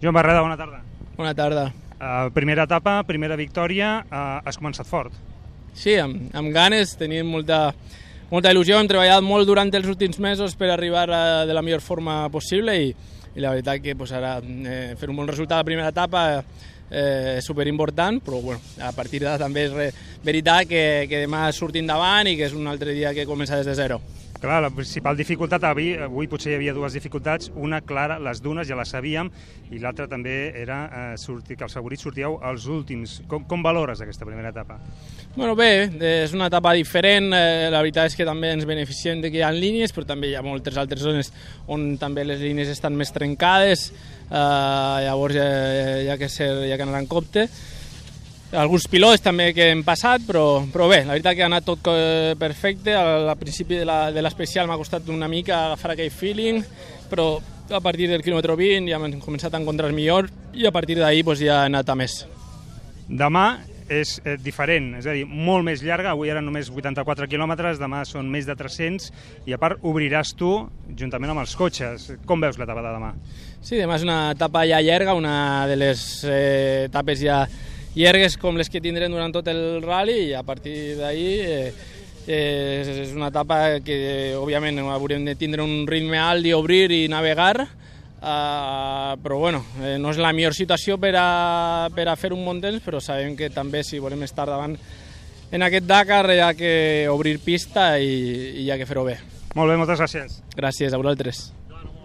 Joan Barreda, bona tarda. Bona tarda. Primera etapa, primera victòria, has començat fort. Sí, amb ganes, tenim molta il·lusió, hem treballat molt durant els últims mesos per arribar de la millor forma possible i la veritat que ara fer un bon resultat a la primera etapa és superimportant, però bueno, a partir d'ara també és veritat que demà sortim davant i que és un altre dia que comença des de zero. Clar, la principal dificultat, avui potser hi havia dues dificultats, una clara, les dunes ja les sabíem, i l'altra també era que els favorits sortíeu als últims. Com valores aquesta primera etapa? Bueno, bé, és una etapa diferent, la veritat és que també ens beneficiem de que hi ha línies, però també hi ha moltes altres zones on també les línies estan més trencades, llavors hi ha que anar en compte. Alguns pilots també que hem passat, però bé, la veritat que ha anat tot perfecte. Al principi de l'especial m'ha costat una mica agafar aquell feeling, però a partir del quilòmetre 20 ja hem començat a encontrar millor i a partir d'ahir ja he anat a més. Demà és diferent, és a dir, molt més llarga, avui eren només 84 quilòmetres, demà són més de 300 i a part obriràs tu juntament amb els cotxes. Com veus l'etapa de demà? Sí, demà és una etapa ja llarga, una de les etapes ja llargues com les que tindrem durant tot el rally i a partir d'ahir és una etapa que òbviament haurem de tindre un ritme alt i obrir i navegar, però bueno, no és la millor situació per a fer un bon temps, però sabem que també si volem estar davant en aquest Dakar hi ha que obrir pista i hi ha que fer-ho bé. Molt bé, moltes gràcies. Gràcies a vosaltres.